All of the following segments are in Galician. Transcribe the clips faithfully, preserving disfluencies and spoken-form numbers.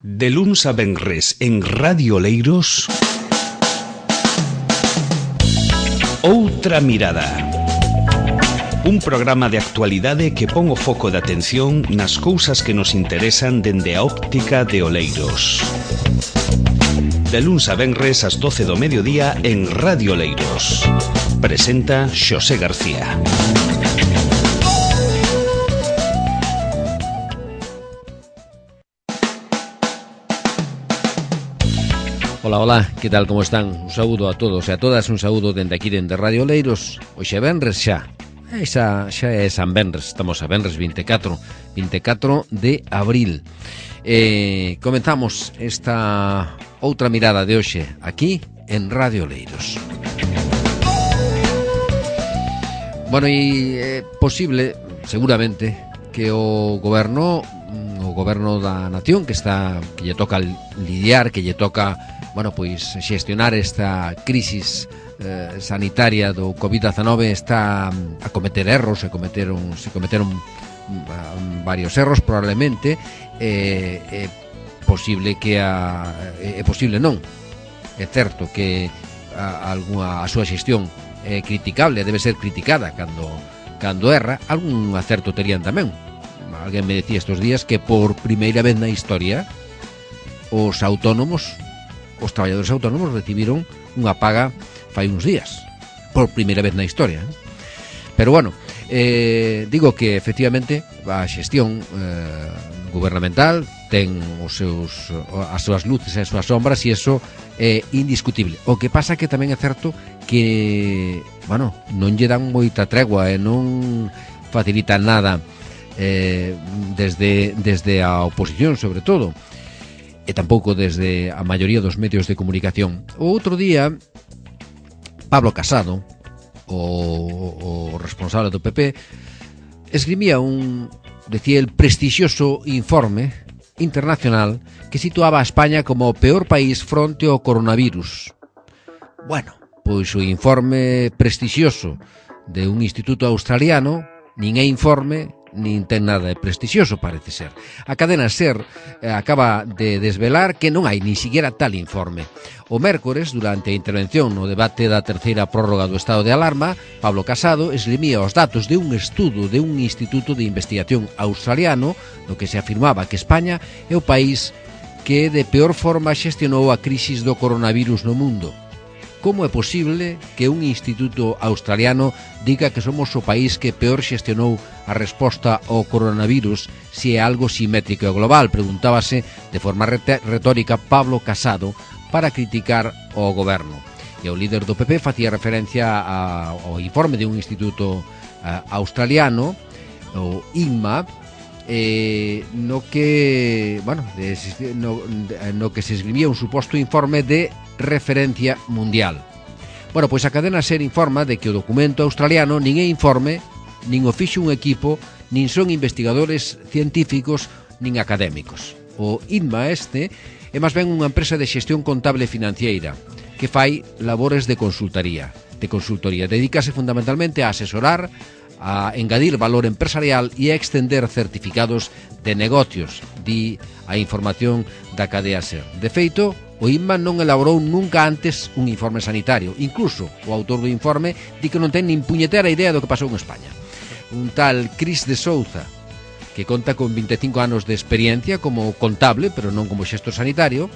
De luns a venres en Radio Oleiros, Outra Mirada. Un programa de actualidade que pon o foco de atención nas cousas que nos interesan dende a óptica de Oleiros. De luns a venres ás doce do mediodía en Radio Oleiros. Presenta Xosé García. Ola, ola, que tal, como están? Un saúdo a todos e a todas, un saúdo dende aquí dende Radio Oleiros. Hoxe é venres xa, xa, xa é San Venres, estamos a venres vinte e catro de abril. eh, Comenzamos esta outra mirada de hoxe aquí en Radio Oleiros. Bueno, e é posible, seguramente, que o goberno o goberno da nación que está que lle toca lidiar, que lle toca, bueno, pois xestionar esta crisis eh, sanitaria do covid diecinueve, está a cometer erros, se cometeron se cometeron um, varios erros probablemente. É eh, eh, posible que a é eh, posible non. É certo que a, a, a súa xestión é criticable, debe ser criticada cando cando erra. Algún acerto terían tamén. Alguén me decía estes días que por primeira vez na historia os autónomos, os traballadores autónomos recibiron unha paga fai uns días, por primeira vez na historia. Pero bueno, eh, digo que efectivamente a xestión eh, gubernamental ten os seus, as súas luces e as súas sombras, e eso é indiscutible. O que pasa que tamén é certo que, bueno, non lle dan moita tregua e non facilitan nada eh, desde, desde a oposición, sobre todo, e tampouco desde a maioría dos medios de comunicación. O outro día, Pablo Casado, o, o responsable do P P, esgrimía un, decía, el prestixioso informe internacional que situaba a España como o peor país fronte ao coronavirus. Bueno, pois o informe prestixioso de un instituto australiano nin é informe nin ten nada de prestixioso, parece ser. A cadena SER eh, acaba de desvelar que non hai ni siquiera tal informe. O mércores, durante a intervención no debate da terceira prórroga do estado de alarma, Pablo Casado esgrimía os datos de un estudo de un instituto de investigación australiano no que se afirmaba que España é o país que de peor forma xestionou a crisis do coronavirus no mundo. Como é posible que un instituto australiano diga que somos o país que peor xestionou a resposta ao coronavirus se é algo simétrico e global? Preguntábase de forma retórica Pablo Casado para criticar o goberno. E o líder do P P facía referencia ao informe de un instituto australiano, o I N M A, eh, no que, bueno, de, no, no que se escribía un suposto informe de referencia mundial. Bueno, pois a cadena SER informa de que o documento australiano nin é informe, nin o fixo un equipo, nin son investigadores científicos, nin académicos. O I N M A este é máis ben unha empresa de xestión contable e financiera que fai labores de consultoría. De consultoría. Dedícase fundamentalmente a asesorar, a engadir valor empresarial e a extender certificados de negocios, di a información da cadea SER. De feito, o I N M A non elaborou nunca antes un informe sanitario. Incluso o autor do informe di que non ten nin puñetera idea do que pasou en España. Un tal Cris de Souza, que conta con vinte e cinco anos de experiencia como contable, pero non como xestor sanitario,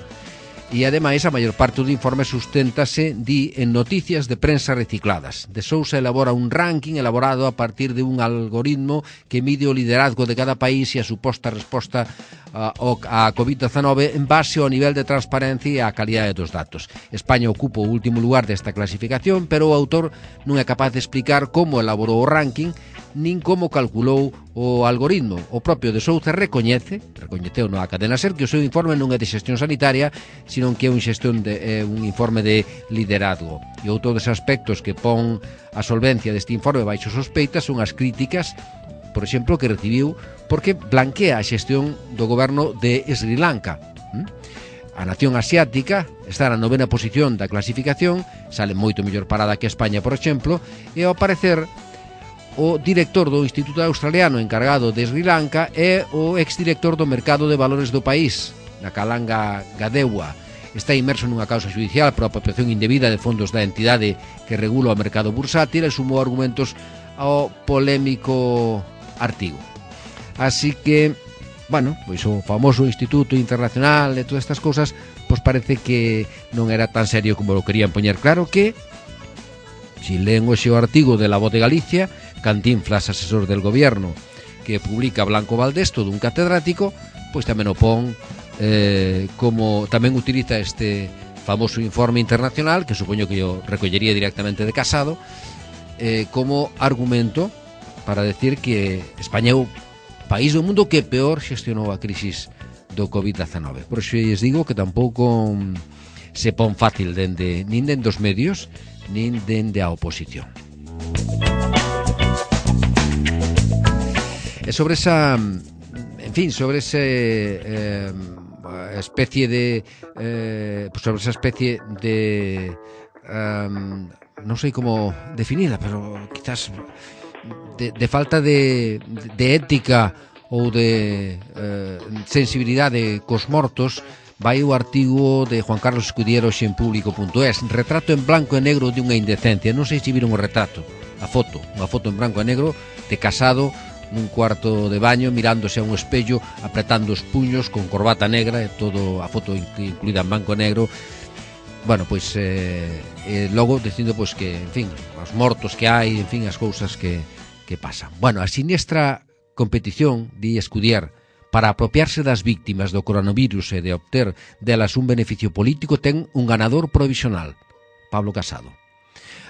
e ademais a maior parte do informe susténtase, di, en noticias de prensa recicladas. De Sousa elabora un ranking elaborado a partir de un algoritmo que mide o liderazgo de cada país e a suposta resposta a, a covid diecinueve en base ao nivel de transparencia e a calidade dos datos. España ocupa o último lugar desta clasificación, pero o autor non é capaz de explicar como elaborou o ranking nin como calculou o algoritmo. O propio de Souza recoñece, recoñeceu na cadena SER, que o seu informe non é de xestión sanitaria, sino que é un xestión de, é un informe de liderazgo. E outro dos aspectos que pon a solvencia deste informe baixo sospeita son as críticas, por exemplo, que recibiu porque blanquea a xestión do goberno de Sri Lanka. A nación asiática está na novena posición da clasificación, sale moito mellor parada que España, por exemplo, e ao parecer o director do Instituto Australiano encargado de Sri Lanka é o exdirector do mercado de valores do país, na Calanga Gadeua, está inmerso nunha causa judicial por apropiación indebida de fondos da entidade que regula o mercado bursátil e sumou argumentos ao polémico artigo. Así que, bueno, pois o famoso Instituto Internacional e todas estas cousas, pois parece que non era tan serio como lo querían poñer. Claro que, si leen hoxe o artigo de La Voz de Galicia, Cantinflas, asesor del gobierno, que publica Blanco Valdés, todo un catedrático, pois tamén o pon eh, como tamén utiliza este famoso informe internacional, que supoño que yo recollería directamente de Casado, eh, como argumento para decir que España é o país do mundo que peor xestionou a crisis do covid diecinueve. Por iso lles digo que tampouco se pon fácil dende, nin dende os medios, nin dende a oposición. E sobre esa, en fin, sobre ese eh, especie de eh, pues sobre esa especie de um, non sei como definida, pero quizás de, de falta de, de ética ou de eh, sensibilidade cos mortos, vai o artigo de Juan Carlos Escudiero en público punto es, retrato en blanco e negro de unha indecencia. Non sei se viron o retrato, a foto, unha foto en branco e negro de Casado nun cuarto de baño mirándose a un espello, apretando os puños con corbata negra e todo a foto incluída en branco e negro. Bueno, pois eh, eh, logo dicindo pois que, en fin, os mortos que hai, en fin, as cousas que, que pasan. Bueno, a siniestra competición, di Escudier, para apropiarse das víctimas do coronavirus e de obter delas un beneficio político ten un ganador provisional, Pablo Casado.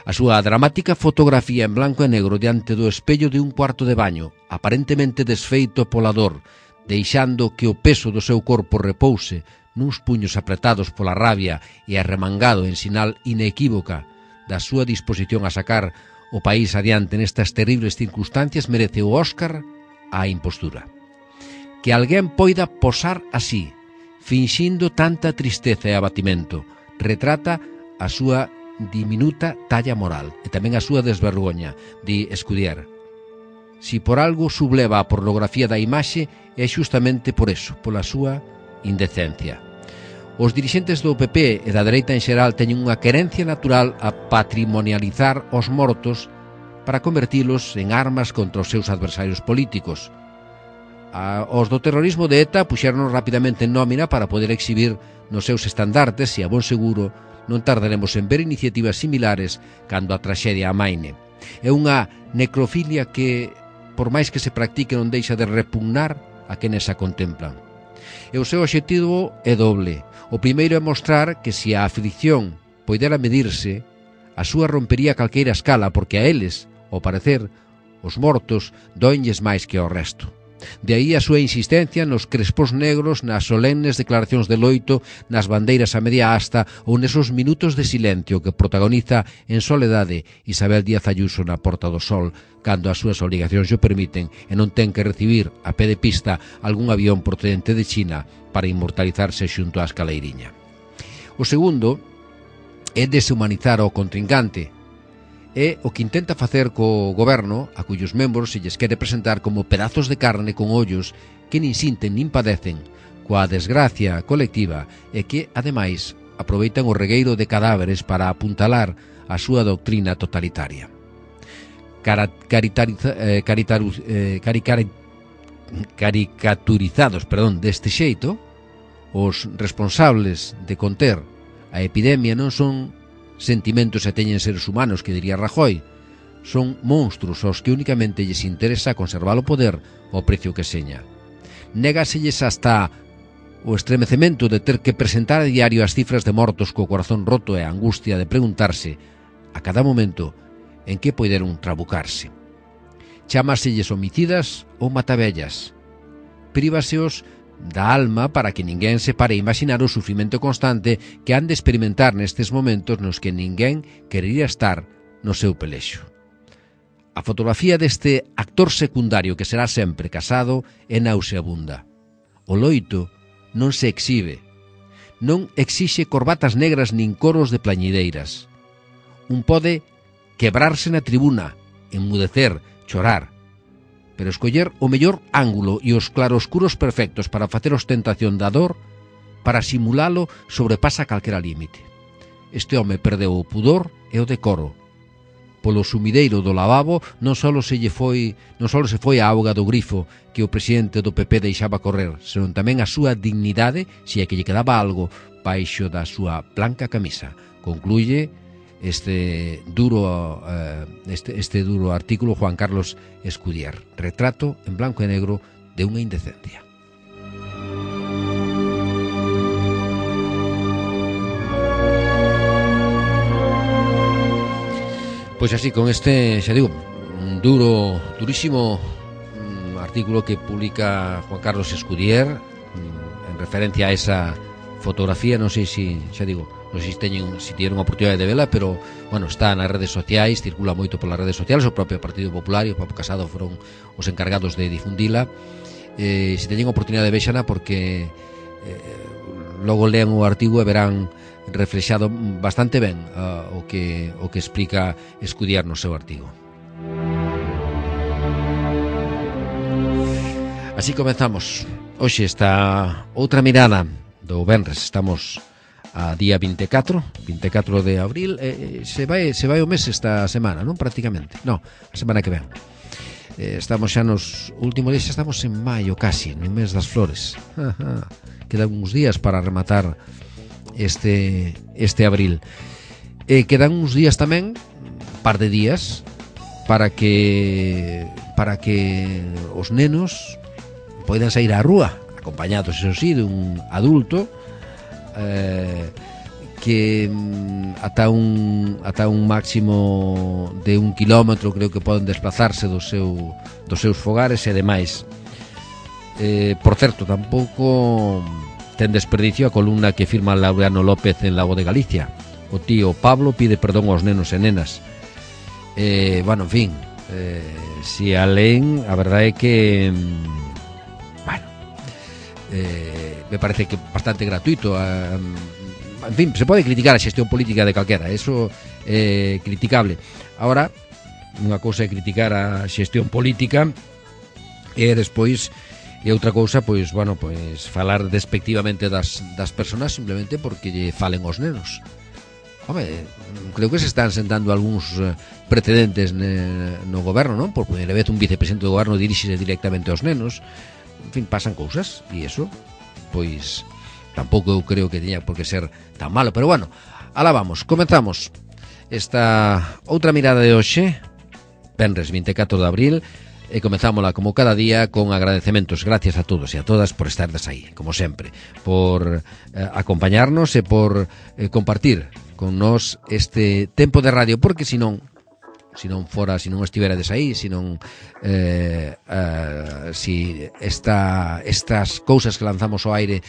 A súa dramática fotografía en blanco e negro diante do espello de un cuarto de baño, aparentemente desfeito e polador, deixando que o peso do seu corpo repouse nuns puños apretados pola rabia e arremangado en sinal inequívoca da súa disposición a sacar o país adiante nestas terribles circunstancias, merece o Óscar á impostura. Que alguén poida posar así, finxindo tanta tristeza e abatimento, retrata a súa diminuta talla moral e tamén a súa desvergoña, di Escudier. Si por algo subleva a pornografía da imaxe, é xustamente por eso, pola súa indecencia. Os dirixentes do P P e da dereita en xeral teñen unha querencia natural a patrimonializar os mortos para convertilos en armas contra os seus adversarios políticos. A, os do terrorismo de ETA puxeron rapidamente en nómina para poder exhibir nos seus estandartes e a bon seguro non tardaremos en ver iniciativas similares cando a traxedia amaine. É unha necrofilia que, por máis que se practique, non deixa de repugnar a quenes a contemplan. E o seu obxectivo é doble. O primeiro é mostrar que se a aflicción poidera medirse, a súa rompería calqueira escala, porque a eles, ao parecer, os mortos doenlles máis que ao resto. De aí a súa insistencia nos crespos negros, nas solemnes declaracións de loito, nas bandeiras a media asta ou nesos minutos de silencio que protagoniza en soledade Isabel Díaz Ayuso na Porta do Sol, cando as súas obrigacións o permiten e non ten que recibir a pé de pista algún avión procedente de China para inmortalizarse xunto á escaleiriña. O segundo é deshumanizar ao contrincante. É o que intenta facer co goberno, a cuyos membros se lles quere presentar como pedazos de carne con ollos que nin sinten nin padecen, coa desgracia colectiva e que, ademais, aproveitan o regueiro de cadáveres para apuntalar a súa doctrina totalitaria. Cara, caritariza, eh, caritaru, eh, caricar, caricaturizados perdón, deste xeito, os responsables de conter a epidemia non son sentimentos e teñen seres humanos, que diría Rajoy, son monstruos aos que únicamente lles interesa conservar o poder ao precio que seña. Négaselles hasta o estremecemento de ter que presentar a diario as cifras de mortos co corazón roto e a angustia de preguntarse a cada momento en que poideron trabucarse. Chámaselles homicidas ou matavellas. Prívaseos da alma para que ninguén se pare a imaginar o sufrimento constante que han de experimentar nestes momentos nos que ninguén querería estar no seu pelexo. A fotografía deste actor secundario que será sempre Casado é nauseabunda. O loito non se exhibe, non exixe corbatas negras nin coros de plañideiras. Un pode quebrarse na tribuna, enmudecer, chorar, pero escoller o mellor ángulo e os claroscuros perfectos para facer ostentación da dor para simulalo sobrepasa calquera límite. Este home perdeu o pudor e o decoro. Polo sumideiro do lavabo non só se lle foi, non só se foi a auga do grifo que o presidente do P P deixaba correr, senón tamén a súa dignidade, se é que lle quedaba algo baixo da súa blanca camisa. Concluye este duro eh, este, este duro artículo Juan Carlos Escudier, retrato en blanco e negro de unha indecencia. Pois así, con este, xa digo, un duro, durísimo um, artículo que publica Juan Carlos Escudier um, en referencia a esa fotografía, non sei se, xa digo, non sei se teñen, se tiveron a oportunidade de vela, pero, bueno, está nas redes sociais, circula moito polas redes sociais, o propio Partido Popular e o Papo Casado foron os encargados de difundila. Eh, se teñen a oportunidade de vexana, porque eh, logo lean o artigo e verán reflexado bastante ben uh, o que o que explica Escudier no seu artigo. Así comenzamos. Hoxe está outra mirada do venres. Estamos a día vinte e catro de abril. Eh, se vai se vai o mes esta semana, non? Prácticamente. No, a semana que ven. Eh, estamos xa nos últimos días, xa estamos en maio casi, no mes das flores. Ajá. Quedan uns días para rematar este este abril. Eh, quedan uns días tamén, un par de días, para que para que os nenos poidan sair á rúa, acompañados, eso sí, dun adulto eh, que ata un ata un máximo de un kilómetro creo que poden desplazarse do seu, dos seus fogares e demais. Eh, por certo, tampouco ten desperdicio a columna que firma Laureano López en Lago de Galicia. O tío Pablo pide perdón aos nenos e nenas. Eh, bueno, en fin, eh, si a leen, a verdade é que bueno, eh, me parece que bastante gratuito. Eh, en fin, se pode criticar a xestión política de calquera, eso é eh, criticable. Ahora, unha cousa é criticar a xestión política e despois e outra cousa, pois, bueno, pois falar despectivamente das, das personas simplemente porque lle falen os nenos. Home, creo que se están sentando algúns precedentes ne, no goberno, non? Por primeira vez un vicepresidente do goberno dirixise directamente aos nenos. En fin, pasan cousas e iso, pois, tampouco eu creo que teña por que ser tan malo. Pero bueno, alá vamos, comenzamos esta outra mirada de hoxe, venres vinte e catro de abril. E comenzámola como cada día con agradecementos. Gracias a todos e a todas por estardes aí, como sempre, por eh, acompañarnos e por eh, compartir con nós este tempo de radio, porque senón se non fora, se non estiverades aí, se non eh, eh, si esta, estas cousas que lanzamos ao aire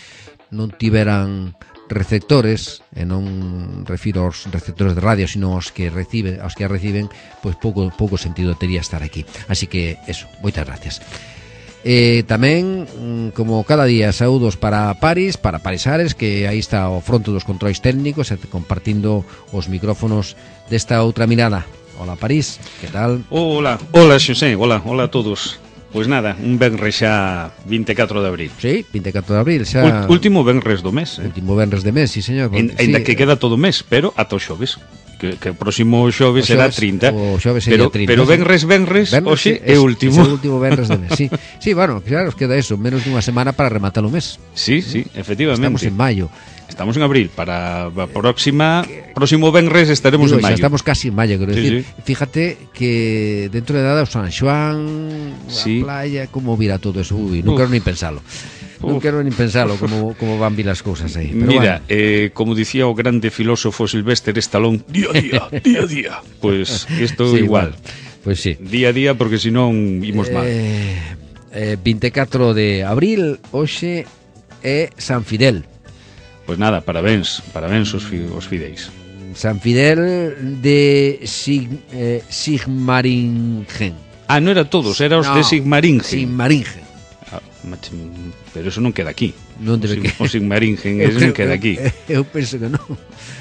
non tiveran receptores, e non refiro aos receptores de radio, sino aos que reciben, aos que a reciben, pois pouco pouco sentido tería estar aquí. Así que eso, moitas gracias. Eh, tamén, como cada día, saúdos para Paris, para Parisares, que aí está ao fronte dos controis técnicos, compartindo os micrófonos desta outra mirada. Hola, París, que tal? Hola, hola, Xosé, hola, hola a todos. Pois nada, un venres xa vinte e catro de abril. Sí, vinte e catro de abril xa... Último venres do mes, eh? Último venres de mes, sí, señor. En, sí, ainda que queda todo o mes, pero ata o xoves. Que, que o próximo xoves será trinta. O xoves será pero, trinta. Pero venres, venres, hoxe é o último. É o último venres de mes, sí. Sí, bueno, claro, nos queda eso, menos dunha semana para rematar o mes. Sí, sí, efectivamente. Estamos en maio. Estamos en abril, para a próxima próximo venres estaremos Digo, en maio. Xa estamos casi en maio, quero sí, decir. Sí. Fíjate que dentro de nada o San Xoán, sí. a playa, como virá todo eso. Uy, non quero nin pensalo. Non quero nin pensalo como, como van vir as cousas aí. Pero mira, bueno. eh, como dicía o grande filósofo Sylvester Stallone, día a día, día a día. Pues isto sí, igual. Pues sí. Día a día, porque senón imos mal. Eh, eh, vinte e catro de abril, hoxe é San Fidel. Pois pues nada, parabéns, parabéns os, fi, os fideis. San Fidel de Sig, eh, Sigmaringen. Ah, non era todos, era os no, de Sigmaringen. Sigmaringen. Ah, pero eso non queda aquí. Non debe que... O Sigmaringen, eso non queda aquí. Eu penso que non.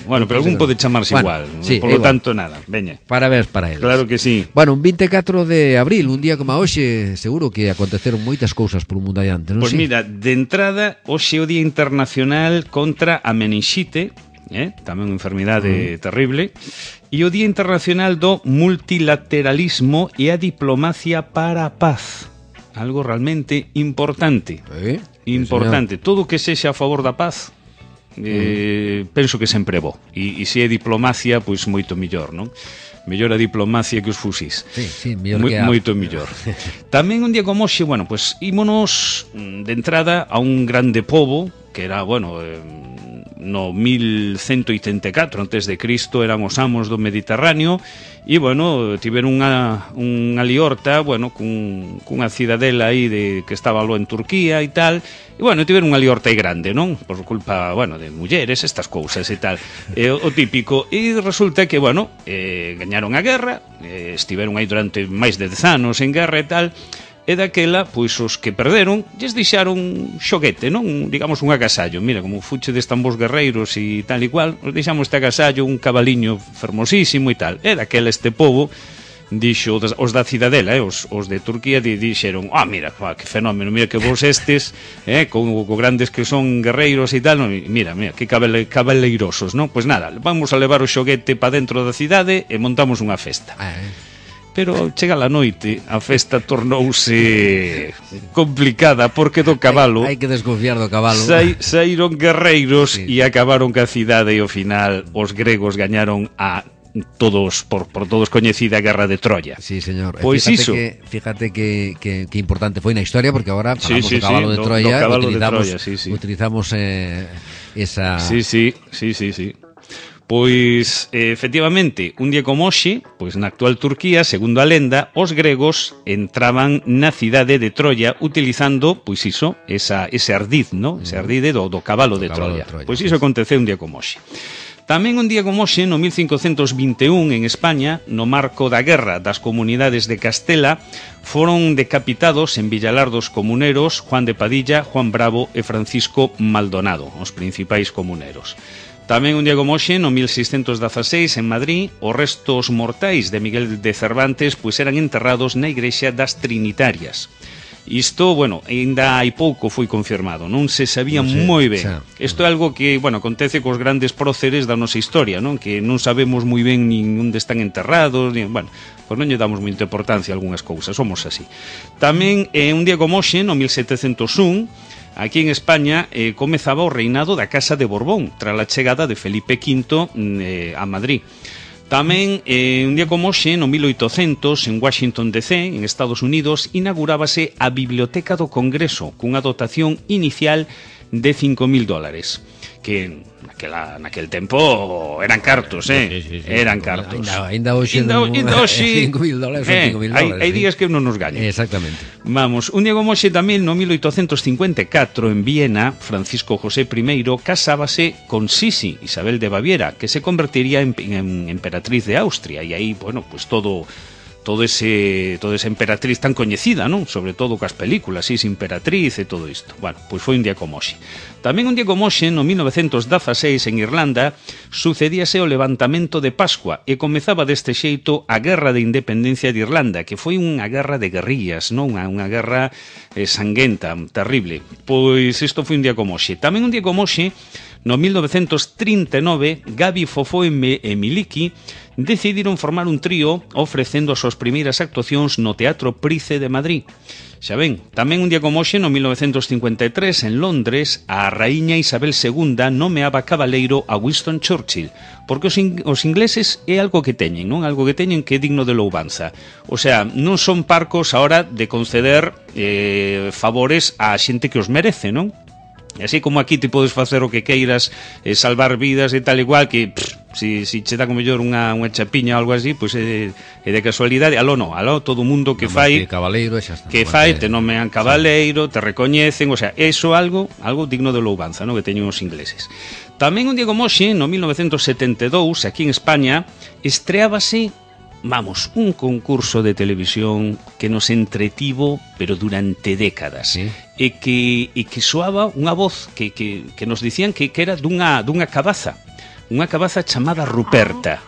Bueno, pero algún pode chamarse bueno, igual, sí, por lo igual. tanto, nada, veña. Parabéns para eles. Claro que sí. Bueno, un vinte e catro de abril, un día como hoxe, seguro que aconteceron moitas cousas polo mundo adiante, non? Pois Sí? mira, de entrada, hoxe é o Día Internacional contra a meningite, eh? tamén unha enfermidade mm. terrible, e o Día Internacional do Multilateralismo e a Diplomacia para a Paz. Algo realmente importante. Eh? Importante. Todo o que sexa a favor da paz, eh, mm. penso que sempre é bo. E, e se é diplomacia, pois moito millor, non? Mellor a diplomacia que os fusís. Sí, sí, mellor Mo, que a... Moito mellor. Tamén un día como hoxe, bueno, pois ímonos de entrada a un grande pobo, que era, bueno, eh, no mil cento oitenta e catro antes de Cristo, eran os amos do Mediterráneo, e, bueno, tiveron unha, unha liorta, bueno, cun, cunha cidadela aí de, que estaba lo en Turquía e tal, e, bueno, tiveron unha liorta aí grande, non? Por culpa, bueno, de mulleres, estas cousas e tal, e, o, o típico, e resulta que, bueno, eh, gañaron a guerra, eh, estiveron aí durante máis de dez anos en guerra e tal, e daquela, pois os que perderon lles deixaron xoguete, non? Digamos un agasallo. Mira, como fuche destan vos guerreiros e tal e cual, os deixamos este agasallo, un cabaliño fermosísimo e tal. E daquela este pobo dixo, os da cidadela, eh, os, os de Turquía, di, dixeron, ah, mira, ah, que fenómeno, mira que vos estes, eh, con, con grandes que son guerreiros e tal, no, mira, mira, que cabale, cabaleirosos, non? Pois nada, vamos a levar o xoguete para dentro da cidade e montamos unha festa. Ah, eh. Pero chega a noite, a festa tornouse complicada porque do cabalo hai, hai que desconfiar do cabalo. Sai, saíron guerreiros sí. E acabaron ca cidade e ao final os gregos gañaron a todos por, por todos coñecida a guerra de Troya. Sí, señor. Pois fíjate iso. Que, fíjate que, que, que importante foi na historia, porque agora falamos sí, sí, do cabalo sí, de Troya, do, do cabalo utilizamos, de Troya, sí, sí. utilizamos eh, esa... Sí, sí, sí, sí, sí. Pois, eh, efectivamente, un día como hoxe, pois na actual Turquía, segundo a lenda, os gregos entraban na cidade de Troya utilizando, pois iso, esa, ese ardiz, no? Ese ardiz do, do cabalo, de, cabalo Troya. de Troya. Pois iso aconteceu un día como hoxe. Tamén un día como hoxe, no mil cincocentos vinte e un, en España, no marco da guerra das comunidades de Castela, foron decapitados en Villalar dos comuneros Juan de Padilla, Juan Bravo e Francisco Maldonado, os principais comuneros. Tamén un día como hoxe, no mil seiscentos dezaseis, en Madrid, os restos mortais de Miguel de Cervantes pois eran enterrados na igrexa das Trinitarias. Isto, bueno, ainda hai pouco foi confirmado, non se sabía non sei, moi ben. Isto é algo que, bueno, acontece cos grandes próceres da nosa historia, non? Que non sabemos moi ben nin onde están enterrados, nin, bueno, pois non lle damos moita importancia a algunhas cousas, somos así. Tamén, eh, un día como hoxe, no mil setecentos un, aquí en España eh, comezaba o reinado da Casa de Borbón, tras a chegada de Felipe quinto eh, a Madrid. Tamén, eh, un día como hoxe, no mil oitocentos, en Washington D C, en Estados Unidos, inaugurábase a Biblioteca do Congreso, cunha dotación inicial de cinco mil dólares, que naquela, naquel tempo eran cartos, eh? Sí, sí, sí, eran cartos. Ainda, ainda hoxe cinco mil dólares son cinco mil dólares. Hai días que non nos gañan. Exactamente. Vamos, un día como hoxe tamén, no mil oitocentos cincuenta e catro, en Viena, Francisco José I casábase con Sisi, Isabel de Baviera, que se convertiría en, en emperatriz de Austria, e aí, bueno, pues todo... todo ese toda esa emperatriz tan coñecida, non? Sobre todo cas películas, Is Imperatriz e todo isto. Bueno, pois foi un día como hoxe. Tamén un día como hoxe, no mil novecentos dezaseis, en Irlanda, sucedíase o levantamento de Pascua e comezaba deste xeito a Guerra de Independencia de Irlanda, que foi unha guerra de guerrillas, non? Unha, unha guerra eh, sanguenta, terrible. Pois isto foi un día como hoxe. Tamén un día como hoxe, no mil novecentos trinta e nove, Gabi Fofó e Miliki decidiron formar un trío ofrecendo as súas primeiras actuacións no Teatro Price de Madrid. Xa ven, tamén un día como hoxe, no mil novecentos cincuenta e tres, en Londres, a raíña Isabel segunda nomeaba cabaleiro a Winston Churchill, porque os, in os ingleses é algo que teñen, non? Algo que teñen que é digno de louvanza. O sea, non son parcos a hora de conceder eh, favores á xente que os merece, non? E así como aquí te podes facer o que queiras, eh, salvar vidas e tal igual, que pff, si, si che dá como mellor unha, unha chapiña ou algo así, pois é, é de casualidade. Aló no, aló todo o mundo que fai que cabaleiro, xa está, que fai, te nomean cabaleiro, te recoñecen, o sea, eso algo algo digno de louvanza, no? Que teñen os ingleses. Tamén un día como hoxe, no mil novecentos setenta e dous, aquí en España, estreábase vamos, un concurso de televisión que nos entretivo, pero durante décadas. Sí. E que, e que soaba unha voz que, que, que nos dicían que, que era dunha, dunha cabaza, unha cabaza chamada Ruperta.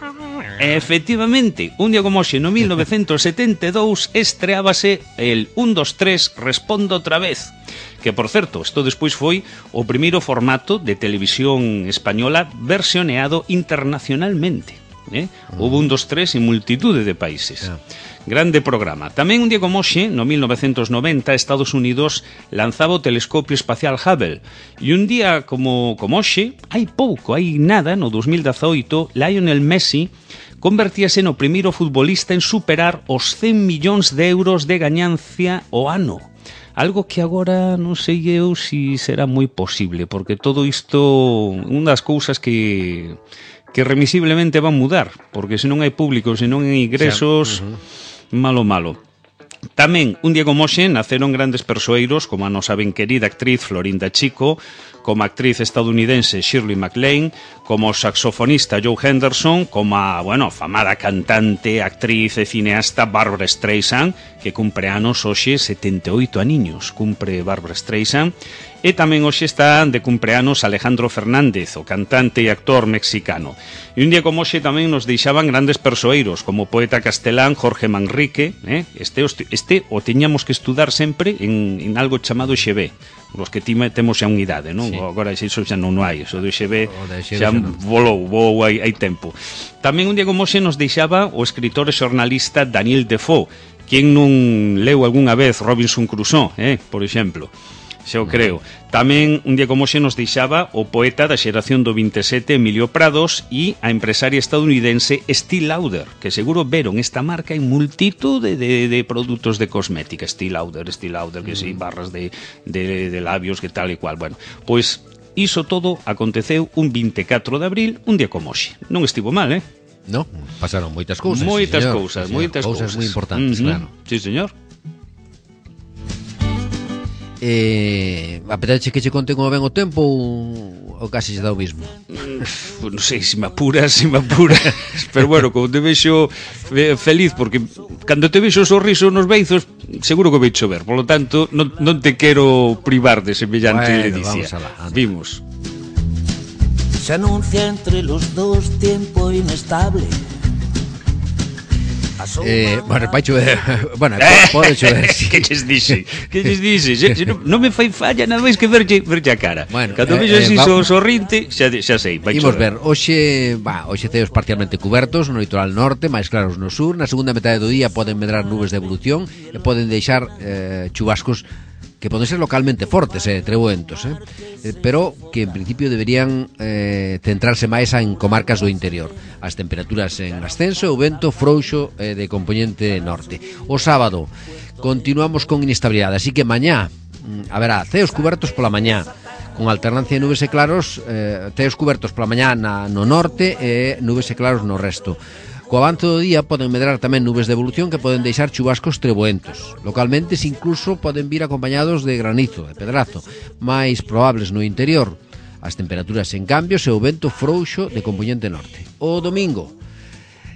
E, efectivamente, un día como hoxe, no mil novecentos setenta e dous, estreábase el un, dos, tres, respondo outra vez. Que, por certo, isto despois foi o primeiro formato de televisión española versioneado internacionalmente. Eh? Houve un, dos, tres en multitude de países. Yeah. Grande programa. Tamén un día como hoxe, no mil novecentos noventa, Estados Unidos lanzaba o telescopio espacial Hubble. E un día como, como hoxe, hai pouco, hai nada, no dos mil dezaoito, Lionel Messi convertíase no primeiro futbolista en superar os cen millóns de euros de gañancia ao ano. Algo que agora non sei eu se será moi posible, porque todo isto, unha das cousas que... que remisiblemente van mudar, porque se non hai público, se non hai ingresos, uh-huh. malo, malo. Tamén, un día como hoxe, naceron grandes persoeiros, como a nosa ben querida actriz Florinda Chico, como a actriz estadounidense Shirley MacLaine, como o saxofonista Joe Henderson, como a, bueno, famada cantante, actriz e cineasta Barbra Streisand, que cumpre anos hoxe setenta e oito aniños, cumpre Barbra Streisand. E tamén hoxe están de cumpleanos Alejandro Fernández, o cantante e actor mexicano. E un día como hoxe tamén nos deixaban grandes persoeiros, como o poeta castelán Jorge Manrique, eh? este, este o teñamos que estudar sempre en, en algo chamado X B, os que time, temos xa unha idade, non? Sí. Agora iso xa non hai, iso do X B xa volou, volou hai, hai tempo. Tamén un día como hoxe nos deixaba o escritor e xornalista Daniel Defoe, quen non leu algunha vez Robinson Crusoe, eh? por exemplo. Xa o creo. Tamén un día como hoxe nos deixaba o poeta da xeración do vinte e sete Emilio Prados e a empresaria estadounidense Estée Lauder, que seguro veron esta marca en multitude de, de produtos de cosmética. Estée Lauder, Estée Lauder, que si, sí, barras de, de, de labios, que tal e cual. Bueno, pois iso todo aconteceu un vinte e catro de abril, un día como hoxe. Non estivo mal, eh? No, pasaron moitas cousas. Moitas sí, cousas, sí, moitas cousas. Cousas moi importantes, uh-huh. claro. Sí, señor. Eh, apetece que che conte como ven o tempo ou, ou casi se dá o mismo? Mm, non sei, se me apuras, se me apuras. Pero bueno, como te vexo feliz, porque cando te vexo o sorriso nos beizos, seguro que vai chover. Por lo tanto, non, non te quero privar de semellante bueno, ledicia. Vimos. Se anuncia entre los dos tiempo inestable. Eh, bueno, vai chover. Bueno, pode chover. Sí. Que lles dixe? Que lles dixe? Se, se non, non me fai falla nada máis que verlle, verlle a cara. Bueno, cando eh, vexo así eh, so, sorrinte, xa, xa sei, vai imos chover. ver, hoxe, va, hoxe ceos parcialmente cubertos no litoral norte, máis claros no sur. Na segunda metade do día poden medrar nubes de evolución e poden deixar eh, chubascos que poden ser localmente fortes, eh, trebuentos, eh, pero que en principio deberían eh, centrarse máis en comarcas do interior. As temperaturas en ascenso e o vento frouxo eh, de componente norte. O sábado continuamos con inestabilidade, así que mañá haberá ceos cubertos pola mañá, con alternancia de nubes e claros, eh, ceos cubertos pola mañá na, no norte e nubes e claros no resto. Co avance do día poden medrar tamén nubes de evolución que poden deixar chubascos trebuentos. Localmente incluso poden vir acompañados de granizo, de pedrazo, máis probables no interior. As temperaturas en cambio e o vento frouxo de componente norte. O domingo,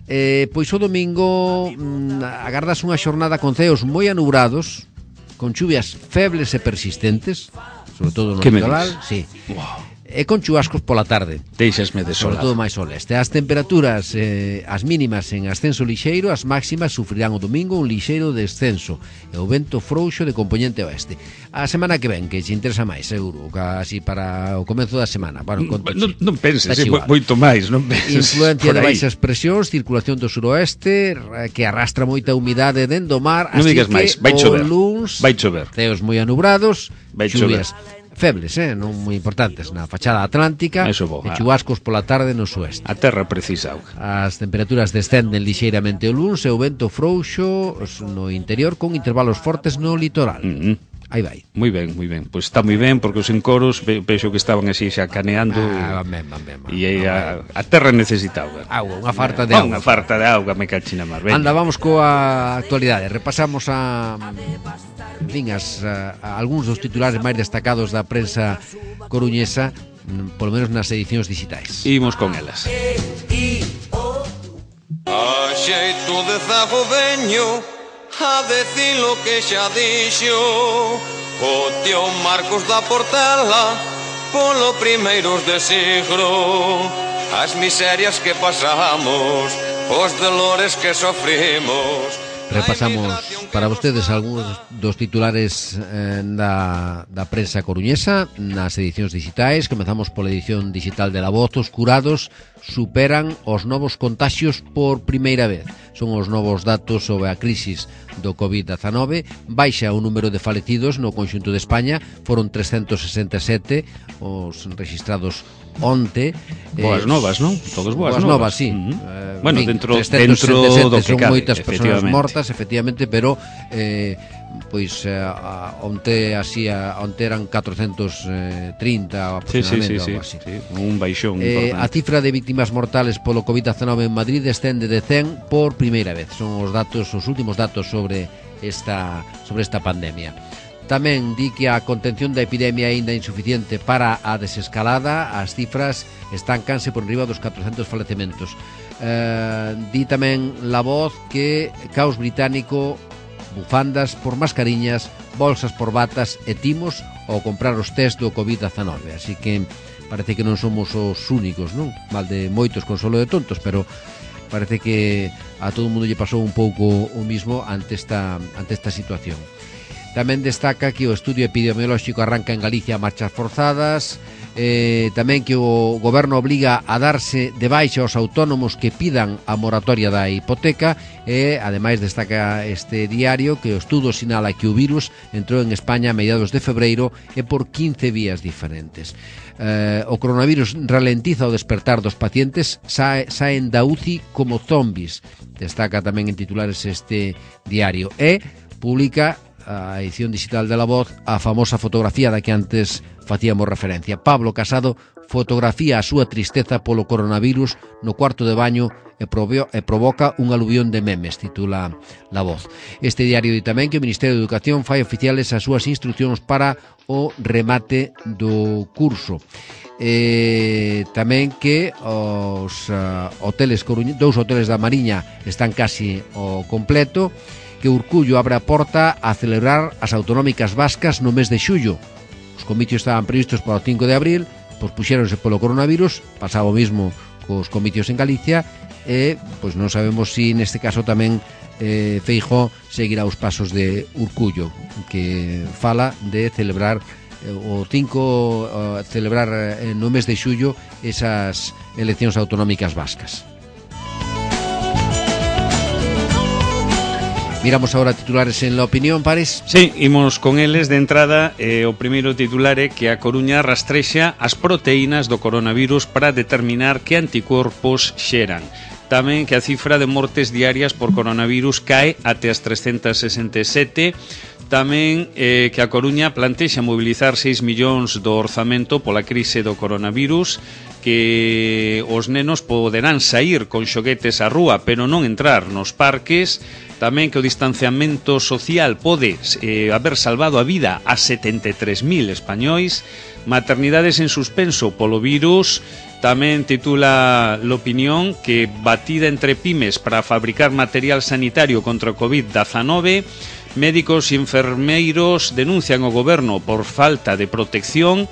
eh, pois o domingo mm, agardas unha xornada con ceos moi anubrados, con chuvias febles e persistentes, sobre todo no litoral, sí. Wow. E con chubascos pola tarde. Deixasme desolado. Sobre todo máis ao leste. As temperaturas, eh, as mínimas en ascenso lixeiro, as máximas sufrirán o domingo un lixeiro descenso e o vento frouxo de componente oeste. A semana que ven, que se interesa máis, seguro, casi para o comenzo da semana. Bueno, non, non penses, eh, moito máis, non penses. Influencia de baixas presións, circulación do suroeste, que arrastra moita humidade dentro do mar, non así digas que máis, vai chover. Luns, vai chover. Ceos moi anubrados, vai chuvias chover. Febles, eh, non moi importantes na fachada atlántica e chubascos pola tarde no sueste. A terra precisa auga. As temperaturas descenden lixeiramente o luns e o vento frouxo no interior con intervalos fortes no litoral. Mm-hmm. Aí vai. Moi ben, moi ben. Pois está moi ben porque os encoros ve, vexo que estaban así xa caneando. Ah, ben, ben, ben, ben, e a, a terra necesita auga. Auga, unha farta de ah, auga. Unha farta de auga, me cachina máis. Anda, vamos coa actualidade. Repasamos a fin, as, a, a algúns dos titulares máis destacados da prensa coruñesa, polo menos nas edicións digitais. Imos con elas. A xeito de zago veño a decir lo que xa dixo o tío Marcos da Portela polo primeiros de siglo. As miserias que pasamos, os dolores que sofrimos. Repasamos para vostedes algúns dos titulares eh, da, da prensa coruñesa nas edicións digitais. Comezamos pola edición digital de La Voz. Os curados superan os novos contaxios por primeira vez. Son os novos datos sobre a crisis do covid dezanove. Baixa o número de falecidos no conxunto de España. Foron trescentos sesenta e sete os registrados onte. Boas novas, non? Todos boas, boas novas, novas, sí. Uh -huh. eh, Bueno, fin, dentro, dentro do que son cabe, moitas persoas mortas, efectivamente, pero eh, pois eh, a, onte así a, onte eran catrocentos trinta aproximadamente, sí, sí, sí, algo así. Sí, un baixón eh, importante. A cifra de víctimas mortales polo covid dezanove en Madrid descende de cen por primeira vez. Son os datos, os últimos datos sobre esta sobre esta pandemia. Tamén di que a contención da epidemia é aínda insuficiente para a desescalada. As cifras estancanse por enriba dos catrocentos falecementos. Eh, di tamén La Voz que caos británico, bufandas por mascariñas, bolsas por batas e timos ao comprar os test do covid dezanove. Así que parece que non somos os únicos, non? Mal de moitos con solo de tontos, pero parece que a todo o mundo lle pasou un pouco o mismo ante esta, ante esta situación. Tamén destaca que o estudio epidemiolóxico arranca en Galicia a marchas forzadas, eh, tamén que o goberno obliga a darse de baixa aos autónomos que pidan a moratoria da hipoteca e, ademais, destaca este diario que o estudo sinala que o virus entrou en España a mediados de febreiro e por quince vías diferentes. Eh, o coronavirus ralentiza o despertar dos pacientes, sae, saen da U C I como zombis, destaca tamén en titulares este diario, e publica a edición digital de La Voz a famosa fotografía da que antes facíamos referencia. Pablo Casado fotografía a súa tristeza polo coronavirus no cuarto de baño e, proveo, e provoca un aluvión de memes, titula La Voz. Este diario di tamén que o Ministerio de Educación fai oficiales as súas instruccións para o remate do curso. Eh, tamén que os uh, hoteles coruñe, dous hoteles da Mariña están casi ao completo, que Urcullo abre a porta a celebrar as autonómicas vascas no mes de xullo. Os comicios estaban previstos para o cinco de abril, pois puxéronse polo coronavirus, pasaba o mismo cos comicios en Galicia, e pois non sabemos se si neste caso tamén eh, Feijóo seguirá os pasos de Urcullo, que fala de celebrar eh, o cinco, uh, celebrar eh, no mes de xullo esas eleccións autonómicas vascas. Miramos agora titulares en La Opinión, Pares. Sí, imos con eles de entrada. eh, O primeiro titular é que a Coruña rastrexa as proteínas do coronavirus para determinar que anticorpos xeran. Tamén que a cifra de mortes diarias por coronavirus cae até as trescentas sesenta e sete. Tamén eh, que a Coruña plantexa mobilizar seis millóns do orzamento pola crise do coronavirus, que os nenos poderán saír con xoguetes á rúa, pero non entrar nos parques. Tamén que o distanciamento social pode eh, haber salvado a vida a setenta e tres mil españois. Maternidades en suspenso polo virus. Tamén titula L'Opinión que batida entre pymes para fabricar material sanitario contra o covid dezanove. Médicos e enfermeiros denuncian o goberno por falta de protección.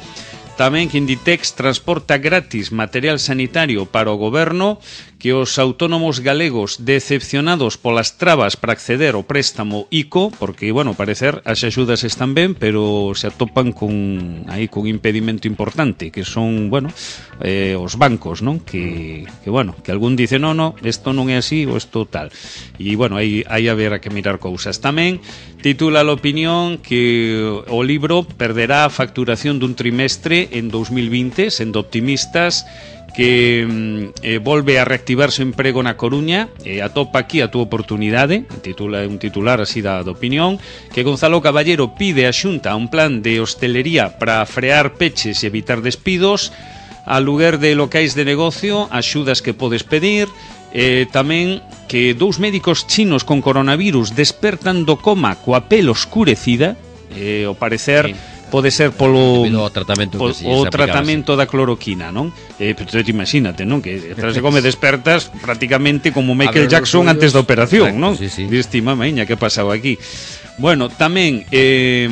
Tamén que Inditex transporta gratis material sanitario para o goberno, que os autónomos galegos decepcionados polas trabas para acceder ao préstamo I C O, porque, bueno, parecer as axudas están ben, pero se atopan con aí con impedimento importante, que son, bueno, eh, os bancos, non? Que, que, bueno, que algún dice, no, no, isto non é así ou isto tal. E, bueno, aí, aí haberá que mirar cousas. Tamén titula L'Opinión que o libro perderá a facturación dun trimestre en dos mil vinte, sendo optimistas, que eh, volve a reactivarse o emprego na Coruña, e eh, atopa aquí a túa oportunidade, titula un titular así da, da Opinión, que Gonzalo Caballero pide a Xunta un plan de hostelería para frear peches e evitar despidos, aluguer de locais de negocio, axudas que podes pedir. Eh, tamén que dous médicos chinos con coronavirus despertan do coma coa pel oscurecida, eh, ao parecer... Sí. pode ser polo debido ao tratamento po, que si o se tratamento da cloroquina, non? Eh, pero te imagínate, non? Que tras de come despertas prácticamente como Michael ver, Jackson suyos, antes da operación, exacto, non? sí, sí. Diste, mamaña, que pasaba aquí? Bueno, tamén eh,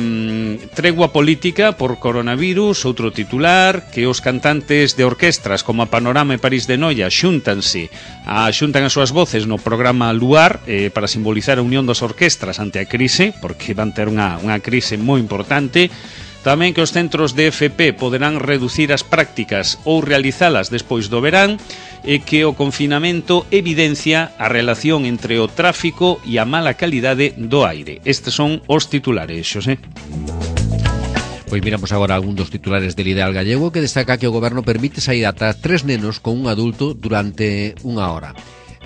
tregua política por coronavirus, outro titular, que os cantantes de orquestras como a Panorama e París de Noia xúntanse, a, xuntan as súas voces no programa Luar eh, para simbolizar a unión das orquestras ante a crise, porque van ter unha, unha crise moi importante. Tamén que os centros de F P poderán reducir as prácticas ou realizalas despois do verán, e que o confinamento evidencia a relación entre o tráfico e a mala calidade do aire. Estes son os titulares, Xosé. Pois miramos agora algún dos titulares del Ideal Gallego, que destaca que o goberno permite sair ata tres nenos con un adulto durante unha hora.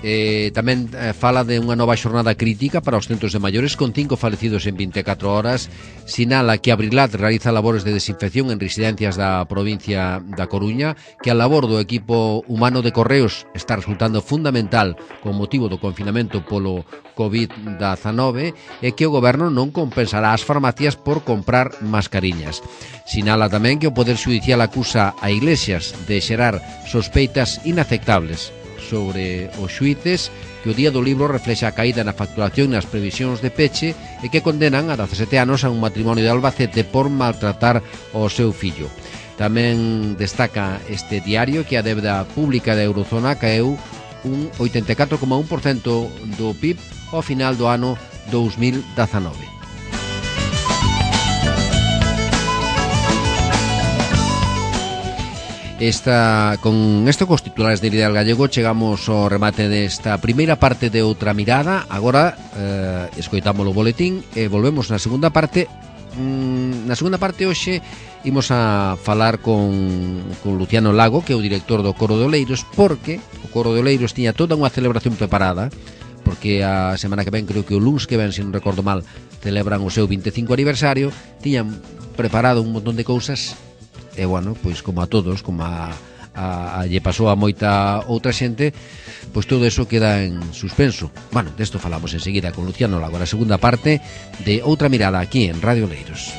Eh, tamén eh, fala de unha nova xornada crítica para os centros de maiores con cinco falecidos en vinte e catro horas. Sinala que Abrilat realiza labores de desinfección en residencias da provincia da Coruña, que a labor do equipo humano de Correos está resultando fundamental con motivo do confinamento polo covid dezenove, e que o goberno non compensará as farmacias por comprar mascariñas. Sinala tamén que o Poder Xudicial acusa a Iglesias de xerar sospeitas inaceptables sobre os xuíces, que o día do libro reflexa a caída na facturación e nas previsións de peche, e que condenan a dezasete anos a un matrimonio de Albacete por maltratar o seu fillo. Tamén destaca este diario que a débeda pública da Eurozona caeu un oitenta e catro coma un por cento do P I B ao final do ano dous mil dezenove. Esta, con isto cos titulares de Ideal Gallego chegamos ao remate desta primeira parte de Outra Mirada. Agora eh, escoitamos o boletín e volvemos na segunda parte. mm, Na segunda parte hoxe imos a falar con, con Luciano Lago, que é o director do Coro de Oleiros, porque o Coro de Oleiros tiña toda unha celebración preparada, porque a semana que ven, creo que o luns que ven, se non recordo mal, celebran o seu vinte e cinco aniversario. Tiñan preparado un montón de cousas. E, bueno, pois como a todos, como a, a, a lle pasou a moita outra xente, pois todo eso queda en suspenso. Bueno, desto falamos enseguida con Luciano Lago, a segunda parte de Outra Mirada aquí en Radio Oleiros.